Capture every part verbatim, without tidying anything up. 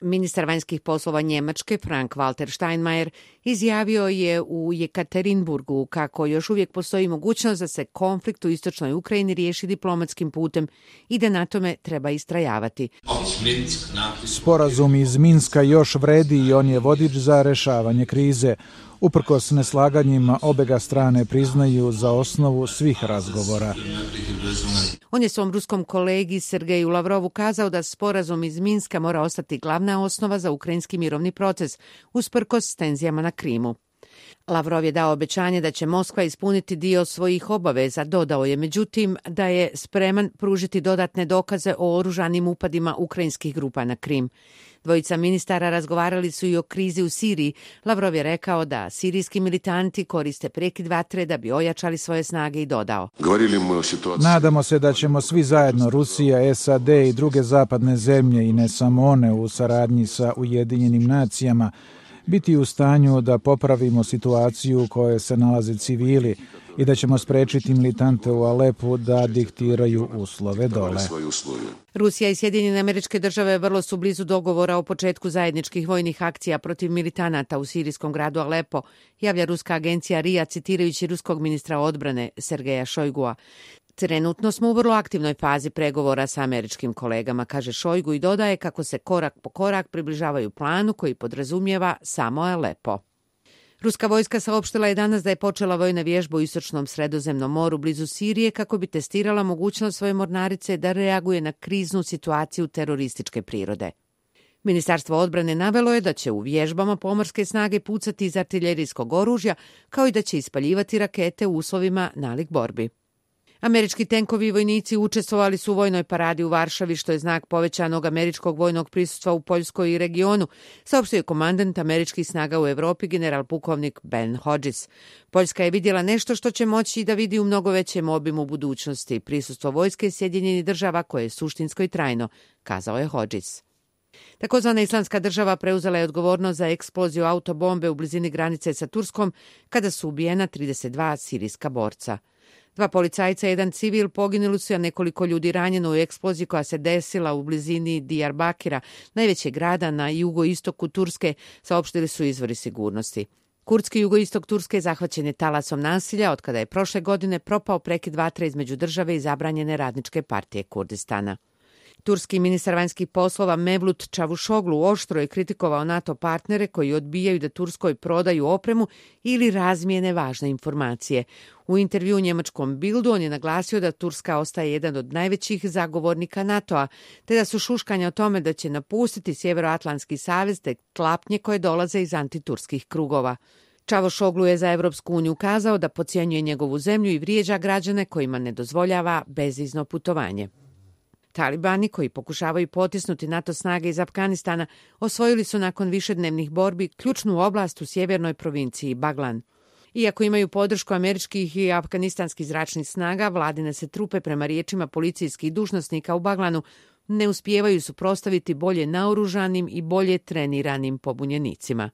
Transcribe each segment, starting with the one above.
Ministar vanjskih poslova Njemačke Frank-Walter Steinmeier izjavio je u Jekaterinburgu kako još uvijek postoji mogućnost da se konflikt u istočnoj Ukrajini riješi diplomatskim putem i da na tome treba istrajavati. Sporazum iz Minska još vredi i on je vodič za rešavanje krize. Uprkos neslaganjima, obega strane priznaju za osnovu svih razgovora. On je svom ruskom kolegi Sergeju Lavrovu kazao da sporazum iz Minska mora ostati glavna osnova za ukrajinski mirovni proces, usprkos tenzijama na Krimu. Lavrov je dao obećanje da će Moskva ispuniti dio svojih obaveza, dodao je međutim da je spreman pružiti dodatne dokaze o oružanim upadima ukrajinskih grupa na Krim. Dvojica ministara razgovarali su i o krizi u Siriji. Lavrov je rekao da sirijski militanti koriste prekid vatre da bi ojačali svoje snage i dodao: Nadamo se da ćemo svi zajedno, Rusija, S A D i druge zapadne zemlje i ne samo one u saradnji sa Ujedinjenim nacijama, biti u stanju da popravimo situaciju u kojoj se nalaze civili i da ćemo sprečiti militante u Alepu da diktiraju uslove dole. Rusija i Sjedinjene Američke Države vrlo su blizu dogovora o početku zajedničkih vojnih akcija protiv militanata u sirijskom gradu Alepo, javlja ruska agencija R I A citirajući ruskog ministra odbrane Sergeja Šojgua. Trenutno smo u vrlo aktivnoj fazi pregovora sa američkim kolegama, kaže Šojgu i dodaje kako se korak po korak približavaju planu koji podrazumijeva samo Alepo. Ruska vojska saopštila je danas da je počela vojna vježba u istočnom Sredozemnom moru blizu Sirije kako bi testirala mogućnost svoje mornarice da reaguje na kriznu situaciju terorističke prirode. Ministarstvo odbrane navelo je da će u vježbama pomorske snage pucati iz artiljerijskog oružja, kao i da će ispaljivati rakete u uslovima nalik borbi. Američki tenkovi i vojnici učestvovali su u vojnoj paradi u Varšavi, što je znak povećanog američkog vojnog prisustva u Poljskoj i regionu, saopštio je komandant američkih snaga u Europi general pukovnik Ben Hodges. Poljska je vidjela nešto što će moći da vidi u mnogo većem obimu u budućnosti, prisustvo vojske Sjedinjenih država koje je suštinsko i trajno, kazao je Hodges. Takozvana Islamska država preuzela je odgovornost za eksploziju autobombe u blizini granice sa Turskom kada su ubijena trideset dva sirijska borca. Dva policajca i jedan civil poginuli su, a nekoliko ljudi ranjeno u eksploziji koja se desila u blizini Diyarbakira, najvećeg grada na jugoistoku Turske, saopštili su izvori sigurnosti. Kurdski jugoistok Turske zahvaćen je talasom nasilja od kada je prošle godine propao prekid vatre između države i zabranjene radničke partije Kurdistana. Turski ministar vanjskih poslova Mevlut Čavušoglu oštro je kritikovao NATO partnere koji odbijaju da Turskoj prodaju opremu ili razmijene važne informacije. U intervju u njemačkom Bildu on je naglasio da Turska ostaje jedan od najvećih zagovornika NATO-a, te da su šuškanja o tome da će napustiti Sjeveroatlantski savez te tlapnje koje dolaze iz antiturskih krugova. Čavušoglu je za Evropsku uniju kazao da podcjenjuje njegovu zemlju i vrijeđa građane kojima ne dozvoljava bezvizno putovanje. Talibani, koji pokušavaju potisnuti NATO snage iz Afganistana, osvojili su nakon višednevnih borbi ključnu oblast u sjevernoj provinciji Baglan. Iako imaju podršku američkih i afganistanskih zračnih snaga, vladine se trupe, prema riječima policijskih dužnosnika u Baglanu, ne uspijevaju suprotstaviti bolje naoružanim i bolje treniranim pobunjenicima.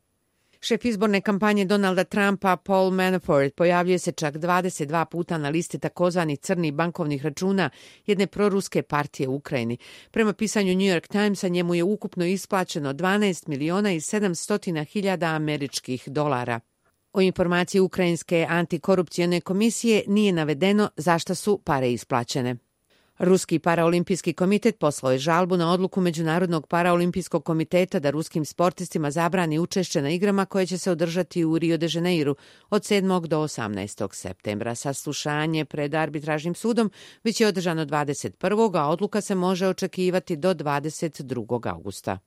Šef izborne kampanje Donalda Trumpa, Paul Manafort, pojavljuje se čak dvadeset dva puta na listi takozvanih crnih bankovnih računa jedne proruske partije u Ukrajini. Prema pisanju New York Timesa, njemu je ukupno isplaćeno dvanaest miliona i sedamsto hiljada američkih dolara. O informaciji Ukrajinske antikorupcijone komisije nije navedeno zašto su pare isplaćene. Ruski paraolimpijski komitet poslao je žalbu na odluku Međunarodnog paraolimpijskog komiteta da ruskim sportistima zabrani učešće na igrama koje će se održati u Rio de Janeiru od sedmog do osamnaestog septembra. Saslušanje pred arbitražnim sudom bit je održano dvadeset prvog a odluka se može očekivati do dvadeset drugog augusta.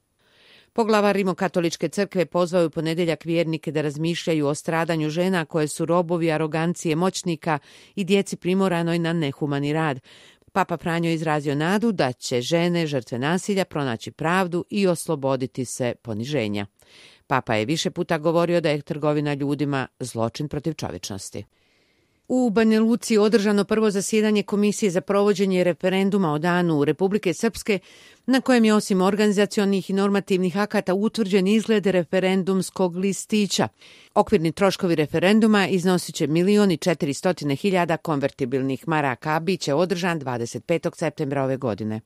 Poglavar Rimokatoličke crkve pozvao je u ponedjeljak vjernike da razmišljaju o stradanju žena koje su robovi arogancije moćnika i djeci primoranoj na nehumani rad. Papa Franjo izrazio nadu da će žene žrtve nasilja pronaći pravdu i osloboditi se poniženja. Papa je više puta govorio da je trgovina ljudima zločin protiv čovječnosti. U Banja Luci održano prvo zasjedanje Komisije za provođenje referenduma o danu Republike Srpske, na kojem je osim organizacionih i normativnih akata utvrđen izgled referendumskog listića. Okvirni troškovi referenduma iznosit će milion i četiristo hiljada konvertibilnih maraka, a bit će održan dvadeset petog septembra ove godine.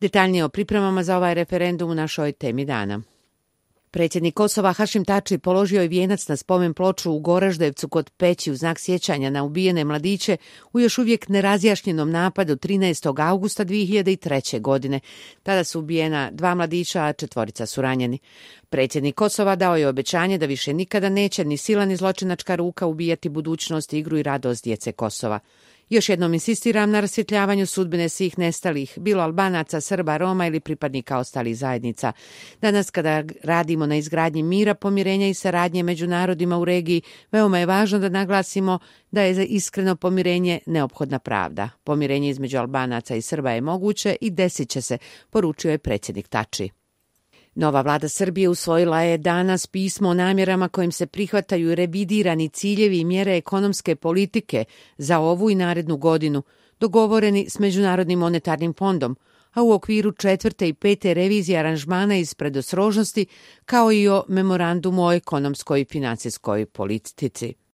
Detaljnije o pripremama za ovaj referendum u našoj temi dana. Predsjednik Kosova Hašim Tači položio je vijenac na spomen ploču u Goraždevcu kod Peći u znak sjećanja na ubijene mladiće u još uvijek nerazjašnjenom napadu trinaestog augusta dvije hiljade treće. godine. Tada su ubijena dva mladića, a četvorica su ranjeni. Predsjednik Kosova dao je obećanje da više nikada neće ni sila ni zločinačka ruka ubijati budućnost, igru i radost djece Kosova. Još jednom insistiram na rasvjetljavanju sudbine svih nestalih, bilo Albanaca, Srba, Roma ili pripadnika ostalih zajednica. Danas kada radimo na izgradnji mira, pomirenja i saradnje među narodima u regiji, veoma je važno da naglasimo da je za iskreno pomirenje neophodna pravda. Pomirenje između Albanaca i Srba je moguće i desit će se, poručio je predsjednik Tači. Nova vlada Srbije usvojila je danas pismo o namjerama kojim se prihvataju revidirani ciljevi i mjere ekonomske politike za ovu i narednu godinu, dogovoreni s Međunarodnim monetarnim fondom, a u okviru četvrte i pete revizije aranžmana iz predostrožnosti, kao i o memorandumu o ekonomskoj i financijskoj politici.